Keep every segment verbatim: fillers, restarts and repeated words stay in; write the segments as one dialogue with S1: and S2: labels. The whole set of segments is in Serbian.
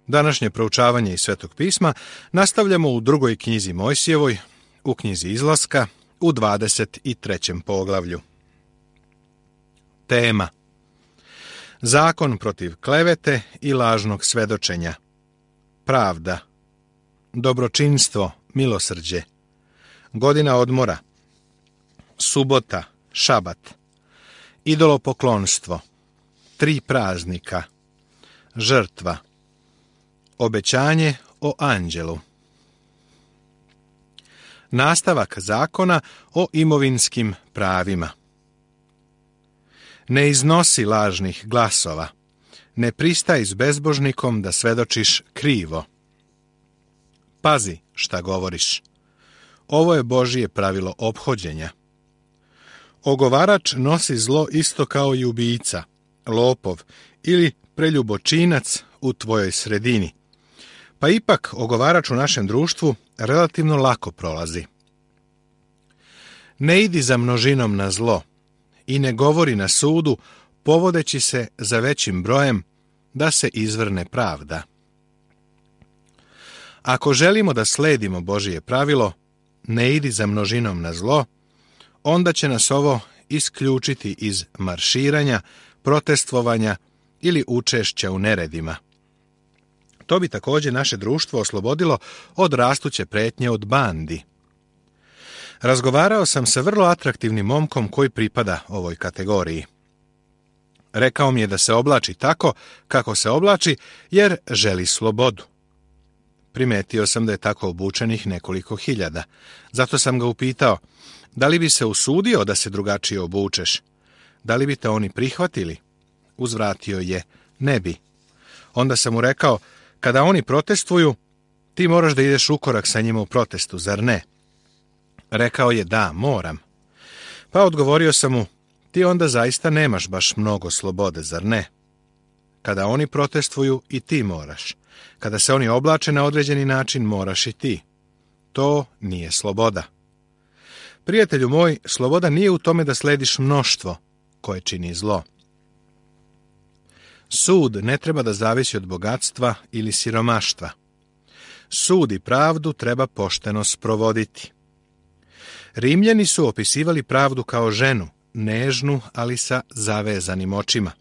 S1: Današnje proučavanje iz Svetog pisma nastavljamo u drugoj knjizi Mojsijevoj, u knjizi Izlaska, u dvadeset trećem poglavlju. Tema: Zakon protiv klevete i lažnog svedočenja. Pravda, dobročinstvo, milosrđe, godina odmora, subota, šabat, idolopoklonstvo, tri praznika, žrtva, obećanje o anđelu. Nastavak zakona o imovinskim pravima. Ne iznosi lažnih glasova, ne pristaj s bezbožnikom da svedočiš krivo. Pazi šta govoriš. Ovo je Božje pravilo ophođenja. Ogovarač nosi zlo isto kao i ubica, lopov ili preljubočinac u tvojoj sredini. Pa ipak ogovarač u našem društvu relativno lako prolazi. Ne idi za množinom na zlo i ne govori na sudu povodeći se za većim brojem da se izvrne pravda. Ako želimo da sledimo Božje pravilo, ne idi za množinom na zlo, onda će nas ovo isključiti iz marširanja, protestvovanja ili učešća u neredima. To bi također naše društvo oslobodilo od rastuće pretnje od bandi. Razgovarao sam sa vrlo atraktivnim momkom koji pripada ovoj kategoriji. Rekao mi je da se oblači tako kako se oblači jer želi slobodu. Primetio sam da je tako obučenih nekoliko hiljada. Zato sam ga upitao, da li bi se usudio da se drugačije obučeš? Da li bi te oni prihvatili? Uzvratio je, ne bi. Onda sam mu rekao, kada oni protestuju, ti moraš da ideš u korak sa njima u protestu, zar ne? Rekao je, da, moram. Pa odgovorio sam mu, ti onda zaista nemaš baš mnogo slobode, zar ne? Kada oni protestuju, i ti moraš. Kada se oni oblače na određeni način, moraš i ti. To nije sloboda. Prijatelju moj, sloboda nije u tome da slediš mnoštvo koje čini zlo. Sud ne treba da zavisi od bogatstva ili siromaštva. Sud i pravdu treba pošteno sprovoditi. Rimljani su opisivali pravdu kao ženu, nežnu, ali sa zavezanim očima.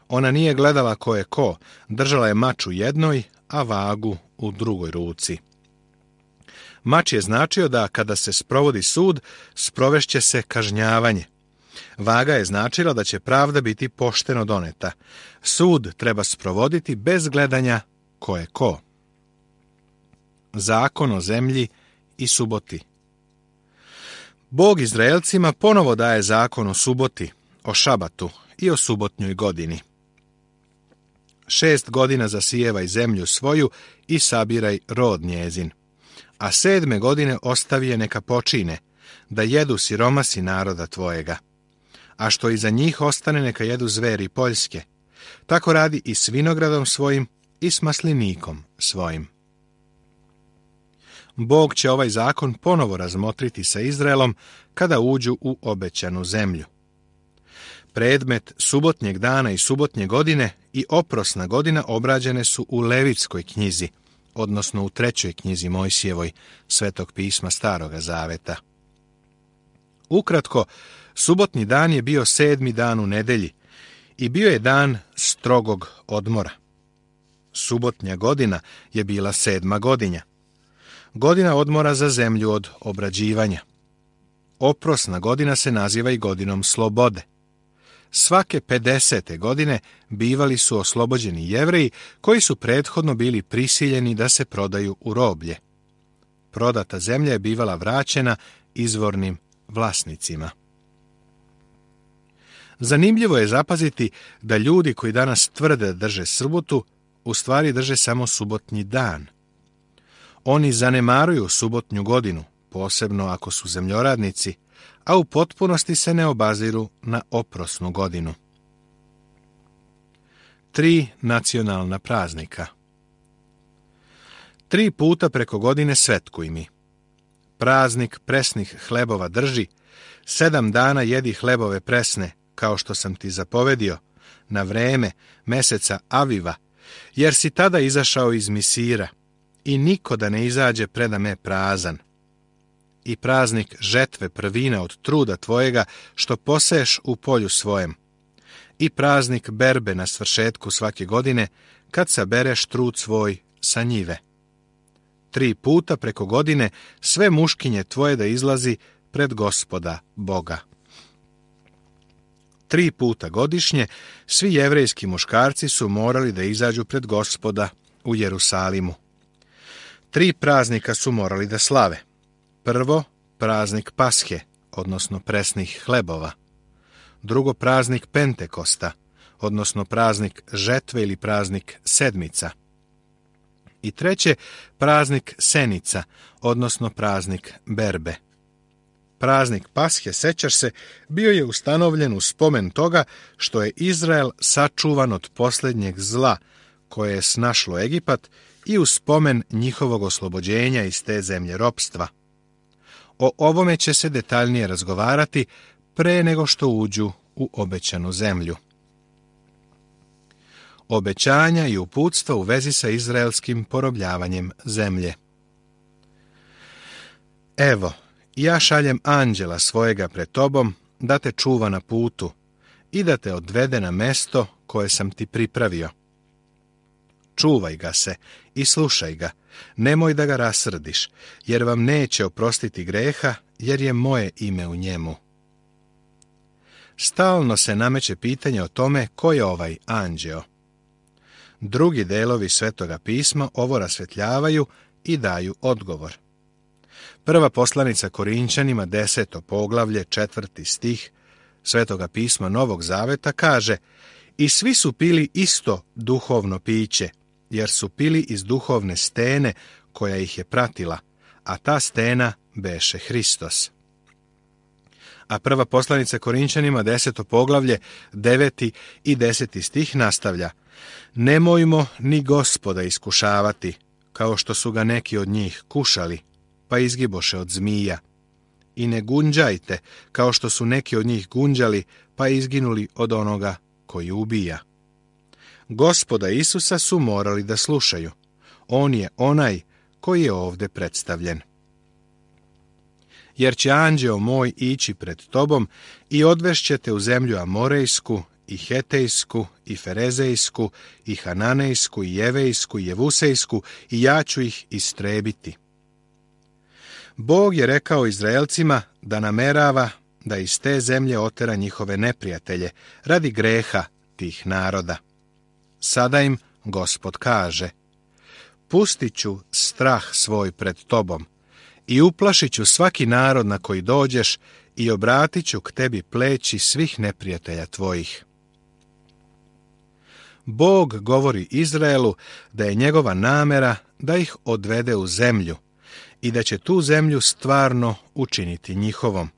S1: Ona nije gledala ko je ko, držala je mač u jednoj, a vagu u drugoj ruci. Mač je značio da kada se sprovodi sud, sprovešće se kažnjavanje. Vaga je značila da će pravda biti pošteno doneta. Sud treba sprovoditi bez gledanja ko je ko. Zakon o zemlji i suboti. Bog Izraelcima ponovo daje zakon o suboti, o šabatu i o subotnjoj godini. Šest godina zasijevaj zemlju svoju i sabiraj rod njezin, a sedme godine ostavi je neka počine, da jedu siromasi naroda tvojega. A što iza njih ostane neka jedu zveri poljske. Tako radi i s vinogradom svojim i s maslinikom svojim. Bog će ovaj zakon ponovo razmotriti sa Izraelom kada uđu u obećanu zemlju. Predmet subotnjeg dana i subotnje godine i oprosna godina obrađene su u Levitskoj knjizi, odnosno u trećoj knjizi Mojsijevoj, Svetog pisma Staroga zaveta. Ukratko, subotnji dan je bio sedmi dan u nedelji i bio je dan strogog odmora. Subotnja godina je bila sedma godina. Godina odmora za zemlju od obrađivanja. Oprosna godina se naziva i godinom slobode. Svake pedesete godine bivali su oslobođeni Jevreji koji su prethodno bili prisiljeni da se prodaju u roblje. Prodata zemlja je bivala vraćena izvornim vlasnicima. Zanimljivo je zapaziti da ljudi koji danas tvrde da drže subotu, u stvari drže samo subotnji dan. Oni zanemaruju subotnju godinu, posebno ako su zemljoradnici, a u potpunosti se ne obaziru na oprosnu godinu. Tri nacionalna praznika. Tri puta preko godine svetkuj mi. Praznik presnih hlebova drži, sedam dana jedi hlebove presne, kao što sam ti zapovedio, na vreme meseca Aviva, jer si tada izašao iz Misira, i niko da ne izađe preda me prazan. I praznik žetve prvina od truda tvojega, što poseješ u polju svojem. I praznik berbe na svršetku svake godine, kad sabereš trud svoj sa njive. Tri puta preko godine sve muškinje tvoje da izlazi pred Gospoda Boga. Tri puta godišnje svi jevrejski muškarci su morali da izađu pred Gospoda u Jerusalimu. Tri praznika su morali da slave. Prvo, praznik Pashe, odnosno presnih hlebova. Drugo, praznik Pentekosta, odnosno praznik žetve ili praznik sedmica. I treće, praznik Senica, odnosno praznik berbe. Praznik Pashe, sećaš se, bio je ustanovljen u spomen toga što je Izrael sačuvan od posljednjeg zla koje je snašlo Egipat i u spomen njihovog oslobođenja iz te zemlje ropstva. O ovome će se detaljnije razgovarati pre nego što uđu u obećanu zemlju. Obećanja i uputstva u vezi sa izraelskim porobljavanjem zemlje. Evo, ja šaljem anđela svojega pred tobom da te čuva na putu i da te odvede na mesto koje sam ti pripravio. Čuvaj ga se i slušaj ga, nemoj da ga rasrdiš, jer vam neće oprostiti greha, jer je moje ime u njemu. Stalno se nameće pitanje o tome ko je ovaj anđeo. Drugi delovi Svetoga pisma ovo rasvetljavaju i daju odgovor. Prva poslanica Korinćanima, deseto poglavlje, četvrti stih Svetoga pisma Novog Zaveta kaže: i svi su pili isto duhovno piće, jer su pili iz duhovne stene koja ih je pratila, a ta stena beše Hristos. A prva poslanica Korinćanima, deseto poglavlje, deveti i deseti stih nastavlja: nemojmo ni Gospoda iskušavati, kao što su ga neki od njih kušali, pa izgiboše od zmija. I ne gunđajte, kao što su neki od njih gunđali, pa izginuli od onoga koji ubija. Gospoda Isusa su morali da slušaju. On je onaj koji je ovdje predstavljen. Jer će anđeo moj ići pred tobom i odvešćete u zemlju Amorejsku, i Hetejsku, i Ferezejsku, i Hananejsku, i Jevejsku, i Jevusejsku, i ja ću ih istrebiti. Bog je rekao Izraelcima da namerava da iz te zemlje otera njihove neprijatelje radi greha tih naroda. Sada im Gospod kaže: pustit ću strah svoj pred tobom i uplašit ću svaki narod na koji dođeš i obratit ću k tebi pleći svih neprijatelja tvojih. Bog govori Izraelu da je njegova namera da ih odvede u zemlju i da će tu zemlju stvarno učiniti njihovom.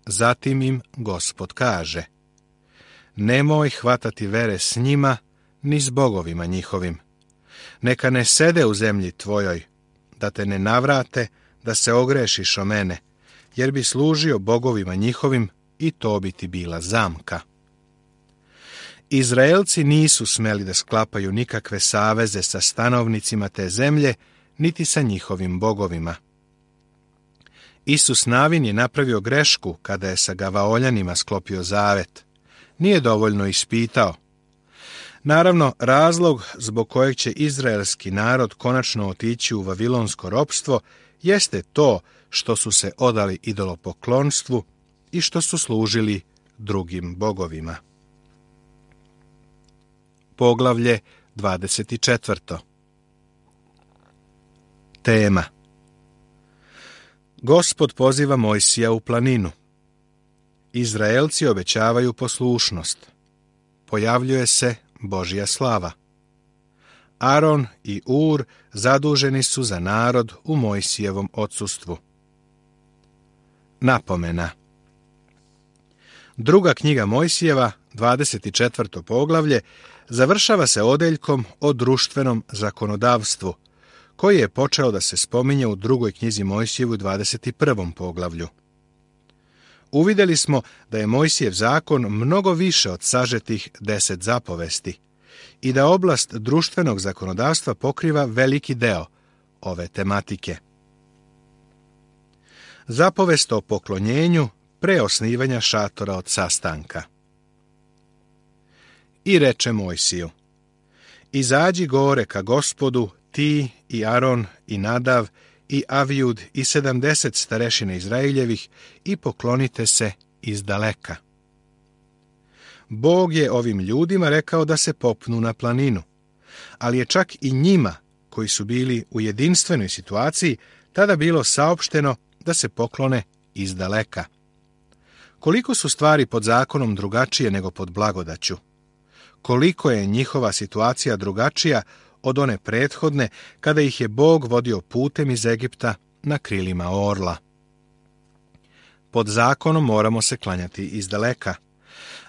S1: Zatim im Gospod kaže: nemoj hvatati vere s njima, ni s bogovima njihovim. Neka ne sede u zemlji tvojoj, da te ne navrate, da se ogrešiš o mene, jer bi služio bogovima njihovim i to bi ti bila zamka. Izraelci nisu smeli da sklapaju nikakve saveze sa stanovnicima te zemlje, niti sa njihovim bogovima. Isus Navin je napravio grešku kada je sa Gavaoljanima sklopio zavet. Nije dovoljno ispitao. Naravno, razlog zbog kojeg će izraelski narod konačno otići u vavilonsko ropstvo jeste to što su se odali idolopoklonstvu i što su služili drugim bogovima. Poglavlje dvadeset četvrto. Tema: Gospod poziva Mojsija u planinu. Izraelci obećavaju poslušnost. Pojavljuje se Božja slava. Aron i Ur zaduženi su za narod u Mojsijevom odsustvu. Napomena. Druga knjiga Mojsijeva, dvadeset četvrto poglavlje, završava se odeljkom o društvenom zakonodavstvu, koji je počeo da se spominje u drugoj knjizi Mojsijevu, dvadeset prvom poglavlju. Uvidjeli smo da je Mojsijev zakon mnogo više od sažetih deset zapovesti i da oblast društvenog zakonodavstva pokriva veliki deo ove tematike. Zapovest o poklonjenju pre osnivanja šatora od sastanka. I reče Mojsiju: izađi gore ka Gospodu, ti i Aron i Nadav i Avijud i sedamdeset starešina Izraeljevih i poklonite se iz daleka. Bog je ovim ljudima rekao da se popnu na planinu, ali je čak i njima, koji su bili u jedinstvenoj situaciji, tada bilo saopšteno da se poklone iz daleka. Koliko su stvari pod zakonom drugačije nego pod blagodaću? Koliko je njihova situacija drugačija od one prethodne, kada ih je Bog vodio putem iz Egipta na krilima orla? Pod zakonom moramo se klanjati iz daleka,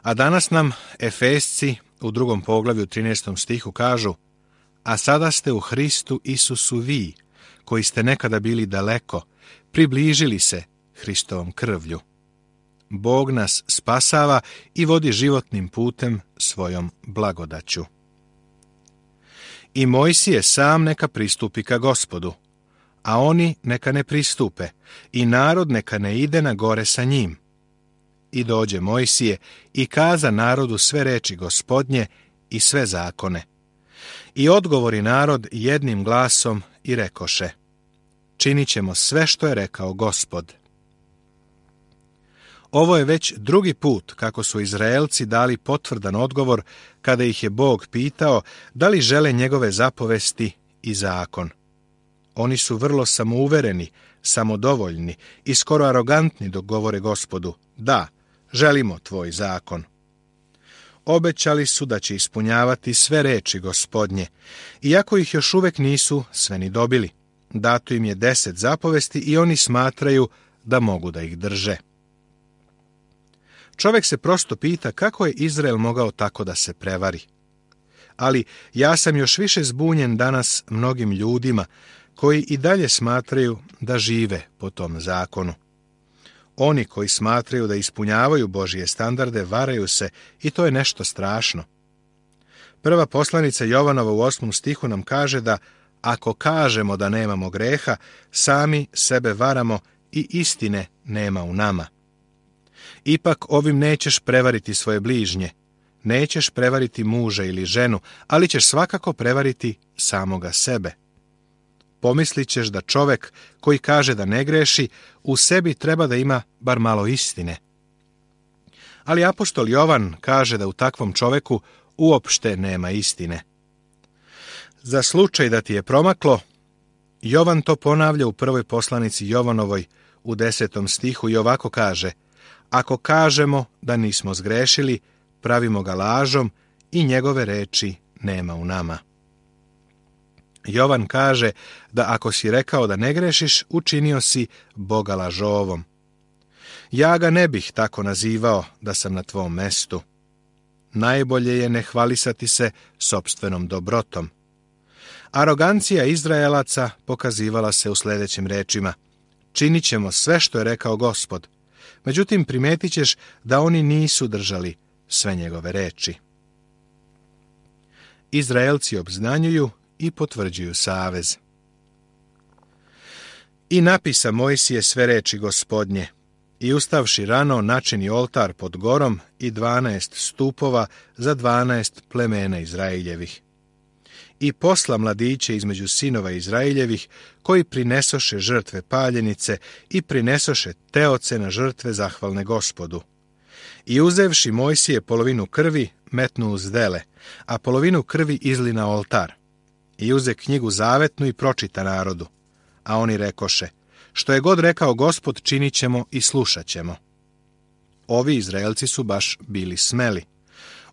S1: a danas nam Efesci u drugom poglavlju trinaestom stihu kažu: a sada ste u Hristu Isusu vi, koji ste nekada bili daleko, približili se Hristovom krvlju. Bog nas spasava i vodi životnim putem svojom blagodaću. I Mojsije sam neka pristupi ka Gospodu, a oni neka ne pristupe, i narod neka ne ide na gore sa njim. I dođe Mojsije i kaza narodu sve reči Gospodnje i sve zakone. I odgovori narod jednim glasom i rekoše: činit ćemo sve što je rekao Gospod. Ovo je već drugi put kako su Izraelci dali potvrdan odgovor kada ih je Bog pitao da li žele njegove zapovesti i zakon. Oni su vrlo samouvereni, samodovoljni i skoro arogantni dok govore Gospodu: da, želimo tvoj zakon. Obećali su da će ispunjavati sve reči Gospodnje, iako ih još uvek nisu sve ni dobili. Dato im je deset zapovesti i oni smatraju da mogu da ih drže. Čovjek se prosto pita kako je Izrael mogao tako da se prevari. Ali ja sam još više zbunjen danas mnogim ljudima koji i dalje smatraju da žive po tom zakonu. Oni koji smatraju da ispunjavaju Božje standarde varaju se i to je nešto strašno. Prva poslanica Jovanova u osmom stihu nam kaže da ako kažemo da nemamo greha, sami sebe varamo i istine nema u nama. Ipak ovim nećeš prevariti svoje bližnje, nećeš prevariti muža ili ženu, ali ćeš svakako prevariti samoga sebe. Pomislit ćeš da čovek koji kaže da ne greši, u sebi treba da ima bar malo istine. Ali apostol Jovan kaže da u takvom čoveku uopšte nema istine. Za slučaj da ti je promaklo, Jovan to ponavlja u prvoj poslanici Jovanovoj u desetom stihu i ovako kaže: ako kažemo da nismo zgrešili, pravimo ga lažom i njegove reči nema u nama. Jovan kaže da ako si rekao da ne grešiš, učinio si Boga lažovom. Ja ga ne bih tako nazivao da sam na tvom mestu. Najbolje je ne hvalisati se sopstvenom dobrotom. Arogancija Izraelaca pokazivala se u sljedećim rečima: činit ćemo sve što je rekao Gospod. Međutim, primetit ćeš da oni nisu držali sve njegove reči. Izraelci obznanjuju i potvrđuju savez. I napisa Mojsije sve reči Gospodnje, i ustavši rano načini oltar pod gorom i dvanaest stupova za dvanaest plemena Izraeljevih. I posla mladiće između sinova Izraeljevih, koji prinesoše žrtve paljenice i prinesoše teoce na žrtve zahvalne Gospodu. I uzevši Mojsije polovinu krvi, metnu uz dele, a polovinu krvi izli na oltar. I uze knjigu zavetnu i pročita narodu. A oni rekoše: što je god rekao Gospod, činit ćemo i slušat ćemo. Ovi Izraelci su baš bili smeli.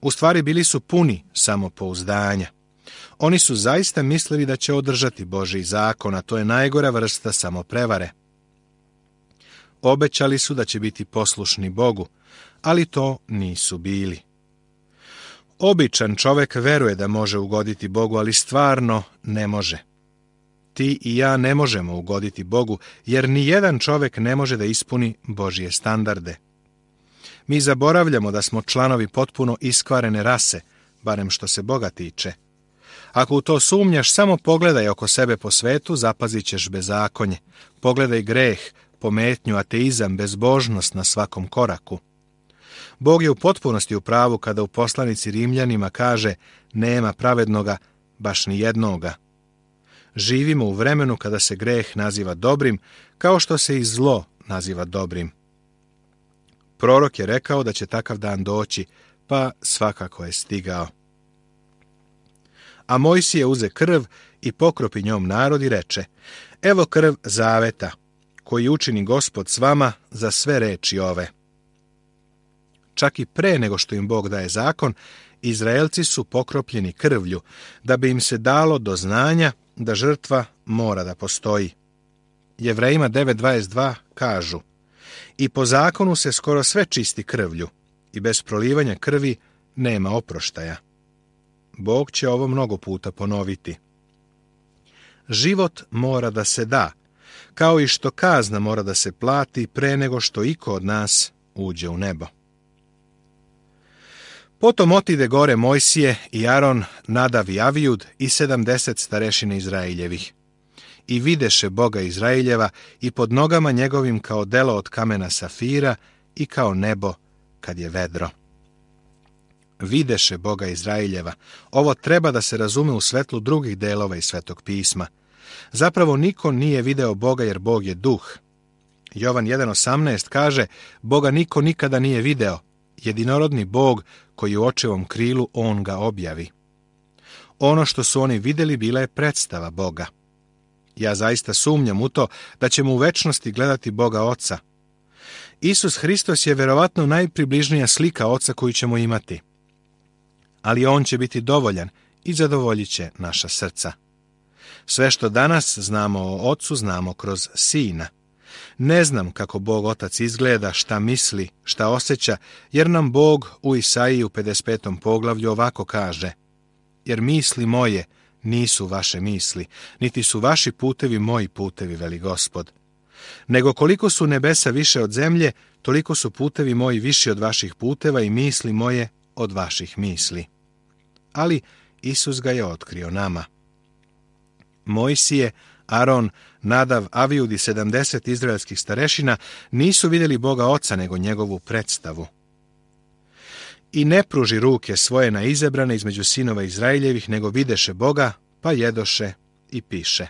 S1: U stvari bili su puni samopouzdanja. Oni su zaista mislili da će održati Božji zakon, a to je najgora vrsta samoprevare. Obećali su da će biti poslušni Bogu, ali to nisu bili. Običan čovek veruje da može ugoditi Bogu, ali stvarno ne može. Ti i ja ne možemo ugoditi Bogu, jer ni jedan čovek ne može da ispuni Božje standarde. Mi zaboravljamo da smo članovi potpuno iskvarene rase, barem što se Boga tiče. Ako u to sumnjaš, samo pogledaj oko sebe po svetu, zapazit ćeš bezakonje. Pogledaj greh, pometnju, ateizam, bezbožnost na svakom koraku. Bog je u potpunosti u pravu kada u poslanici Rimljanima kaže nema pravednoga, baš ni jednoga. Živimo u vremenu kada se greh naziva dobrim, kao što se i zlo naziva dobrim. Prorok je rekao da će takav dan doći, pa svakako je stigao. A Mojsije uze krv i pokropi njom narod i reče, evo krv zaveta, koji učini Gospod s vama za sve reči ove. Čak i pre nego što im Bog daje zakon, Izraelci su pokropljeni krvlju, da bi im se dalo do znanja da žrtva mora da postoji. Jevrejima devet dvadeset dva kažu, i po zakonu se skoro sve čisti krvlju, i bez prolivanja krvi nema oproštaja. Bog će ovo mnogo puta ponoviti. Život mora da se da, kao i što kazna mora da se plati pre nego što iko od nas uđe u nebo. Potom otide gore Mojsije i Aron, Nadav i Avijud i sedamdeset starešina Izraeljevih. I videše Boga Izraeljeva i pod nogama njegovim kao delo od kamena safira i kao nebo kad je vedro. Videše Boga Izraeljeva. Ovo treba da se razume u svetlu drugih delova iz Svetog pisma. Zapravo niko nije video Boga jer Bog je duh. Jovan jedan osamnaest kaže, Boga niko nikada nije video. Jedinorodni Bog koji u očevom krilu on ga objavi. Ono što su oni vidjeli bila je predstava Boga. Ja zaista sumnjam u to da ćemo u večnosti gledati Boga Oca. Isus Hristos je verovatno najpribližnija slika Oca koju ćemo imati. Ali on će biti dovoljan i zadovoljit će naša srca. Sve što danas znamo o Ocu znamo kroz Sina. Ne znam kako Bog Otac izgleda, šta misli, šta osjeća, jer nam Bog u Isaiji u pedeset petom poglavlju ovako kaže, jer misli moje nisu vaše misli, niti su vaši putevi moji putevi, veli Gospod. Nego koliko su nebesa više od zemlje, toliko su putevi moji viši od vaših puteva i misli moje od vaših misli. Ali Isus ga je otkrio nama. Mojsije, Aron, Nadav, Avijud i sedamdeset izraelskih starešina nisu vidjeli Boga Oca, nego njegovu predstavu. I ne pruži ruke svoje na izabrane između sinova Izraeljevih, nego videše Boga, pa jedoše i piše.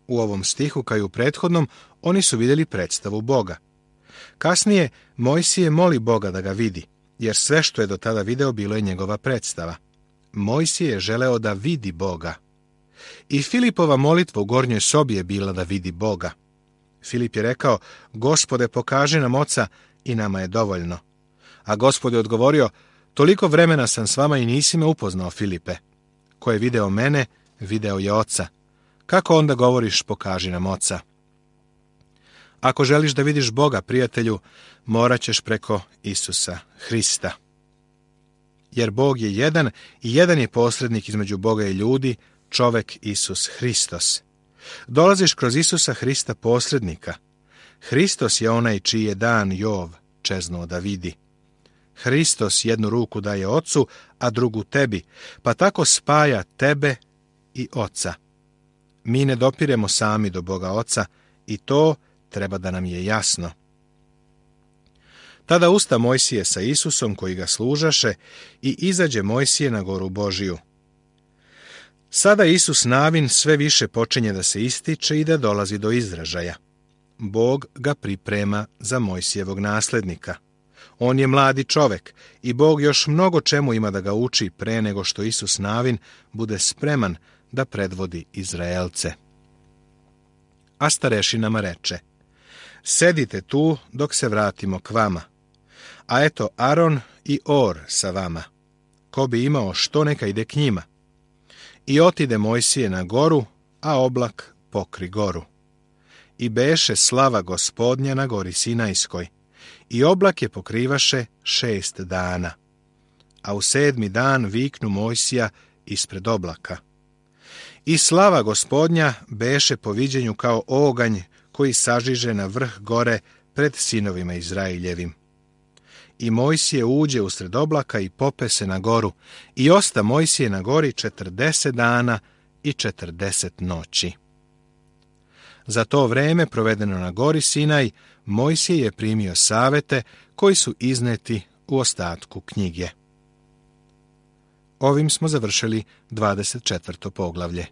S1: U ovom stihu, kao i u prethodnom, oni su vidjeli predstavu Boga. Kasnije, Mojsije moli Boga da ga vidi, jer sve što je do tada video bilo je njegova predstava. Mojsije je želeo da vidi Boga. I Filipova molitva u gornjoj sobi je bila da vidi Boga. Filip je rekao, Gospode, pokaži nam Oca i nama je dovoljno. A Gospod je odgovorio, toliko vremena sam s vama i nisi me upoznao, Filipe. Ko je video mene, video je Oca. Kako onda govoriš, pokaži nam Oca? Ako želiš da vidiš Boga, prijatelju, morat ćeš preko Isusa Hrista. Jer Bog je jedan i jedan je posrednik između Boga i ljudi, čovek Isus Hristos. Dolaziš kroz Isusa Hrista posrednika. Hristos je onaj čiji je dan Jov čeznuo da vidi. Hristos jednu ruku daje Ocu, a drugu tebi, pa tako spaja tebe i Oca. Mi ne dopiremo sami do Boga Oca i to treba da nam je jasno. Tada usta Mojsije sa Isusom koji ga služaše i izađe Mojsije na goru Božiju. Sada Isus navin sve više počinje da se ističe i da dolazi do izražaja. Bog ga priprema za Mojsijevog naslednika. On je mladi čovek i Bog još mnogo čemu ima da ga uči pre nego što Isus navin bude spreman da predvodi Izraelce. A starešinama reče, sedite tu dok se vratimo k vama. A eto Aron i Or sa vama. Ko bi imao što, neka ide k njima. I otide Mojsije na goru, a oblak pokri goru. I beše slava Gospodnja na gori Sinajskoj. I oblak je pokrivaše šest dana. A u sedmi dan viknu Mojsija ispred oblaka. I slava Gospodnja beše po viđenju kao oganj koji sažiže na vrh gore pred sinovima Izraeljevim. I Mojsije uđe usred oblaka i pope se na goru, i osta Mojsije na gori četrdeset dana i četrdeset noći. Za to vreme provedeno na gori Sinaj, Mojsije je primio savete koji su izneti u ostatku knjige. Ovim smo završili dvadeset četvrto poglavlje.